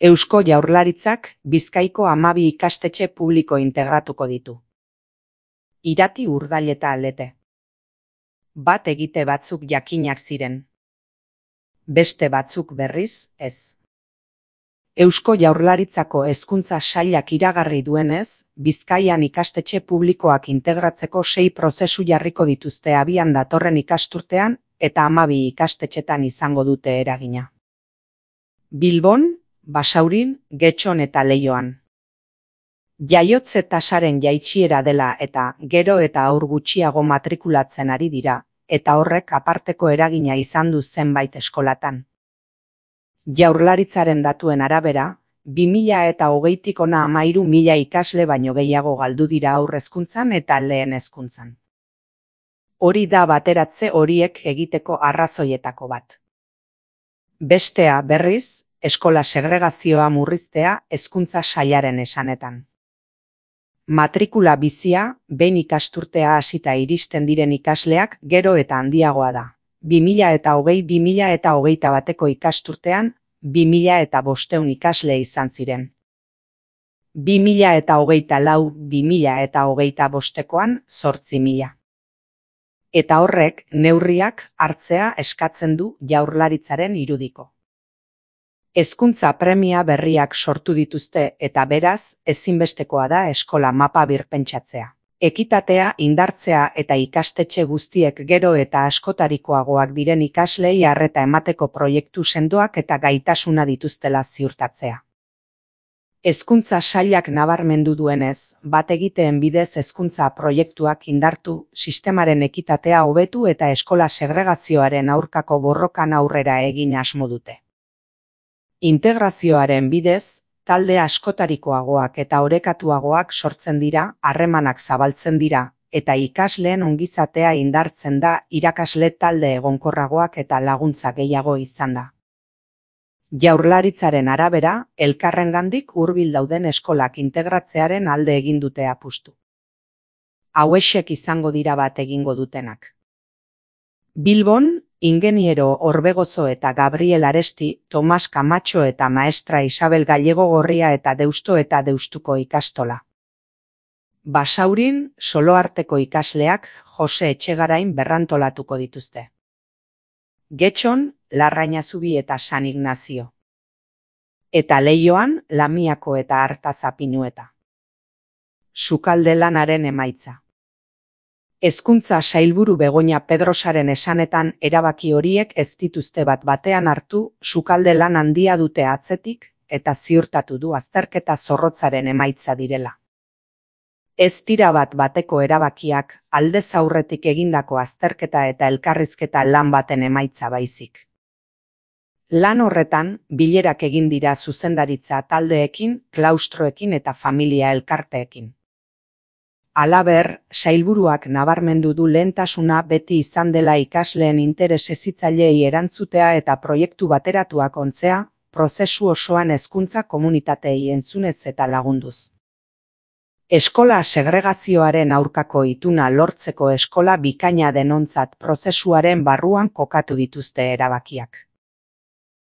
Eusko Jaurlaritzak Bizkaiko 12 ikastetxe publiko integratuko ditu. Irati, Urdail eta Aldete. Bat egite batzuk jakinak ziren. Beste batzuk berriz, ez. Eusko Jaurlaritzako Hezkuntza Sailak iragarri duenez, Bizkaian ikastetxe publikoak integratzeko 6 prozesu jarriko dituzte abian datorren ikasturtean eta 12 ikastetxetan izango dute eragina. Bilbon, Basaurin, Getxon eta Leioan. Jaiotze tasaren jaitsiera dela eta gero eta haur gutxiago matrikulatzen ari dira, eta horrek aparteko eragina izan du zenbait eskolatan. Jaurlaritzaren datuen arabera, 2020tik hona 13.000 ikasle baino gehiago galdu dira haur hezkuntzan eta lehen hezkuntzan. Hori da bateratze horiek egiteko arrazoietako bat. Bestea, berriz, eskola segregazioa murriztea Hezkuntza Sailaren esanetan. Matrikula bizia, behin ikasturtea hasita iristen diren ikasleak gero eta handiagoa da. 2020-2021eko ikasturtean, 2.500 ikasle izan ziren. 2024-2025koan 8.000. Eta horrek neurriak hartzea eskatzen du Jaurlaritzaren irudiko. Hezkuntza premia berriak sortu dituzte eta beraz, ezinbestekoa da eskola mapa birpentsatzea. Ekitatea indartzea eta ikastetxe guztiek gero eta askotarikoagoak diren ikaslei arreta emateko proiektu sendoak eta gaitasuna dituztela ziurtatzea. Hezkuntza Sailak nabarmendu duenez, bat egiteen bidez hezkuntza proiektuak indartu, sistemaren ekitatea hobetu eta eskola segregazioaren aurkako borrokan aurrera egin asmo dute. Integrazioaren bidez, talde askotarikoagoak eta orekatuagoak sortzen dira, harremanak zabaltzen dira, eta ikasleen ongizatea indartzen da irakasle talde egonkorragoak eta laguntza gehiago izan da. Jaurlaritzaren arabera, elkarrengandik hurbil dauden eskolak integratzearen alde egin dute apustu. Hauexek izango dira bat egingo dutenak. Bilbon, Ingeniero Orbegozo eta Gabriel Aresti, Tomas Camacho eta Maestra Isabel Gallego Gorria eta Deusto eta Deustuko ikastola. Basaurin, Soloarteko ikasleak Jose Etxegarain berrantolatuko dituzte. Getxon, Larrainazubi eta San Ignazio. Eta Leioan, Lamiako eta Artazapinueta. Sukalde lanaren emaitza. Hezkuntza Sailburu Begoña Pedrosaren esanetan erabaki horiek ez dituzte bat batean hartu, sukalde lan handia dute atzetik eta ziurtatu du azterketa zorrotzaren emaitza direla. Ez dira bat bateko erabakiak, aldez aurretik egindako azterketa eta elkarrizketa lan baten emaitza baizik. Lan horretan, bilerak egin dira zuzendaritza taldeekin, klaustroekin eta familia elkarteekin. Halaber, sailburuak nabarmendu du lehentasuna beti izan dela ikasleen interes hezitzaileei erantzutea eta proiektu bateratuak ontzea, prozesu osoan hezkuntza komunitateei entzunez eta lagunduz. Eskola segregazioaren aurkako ituna lortzeko eskola bikaina denontzat prozesuaren barruan kokatu dituzte erabakiak.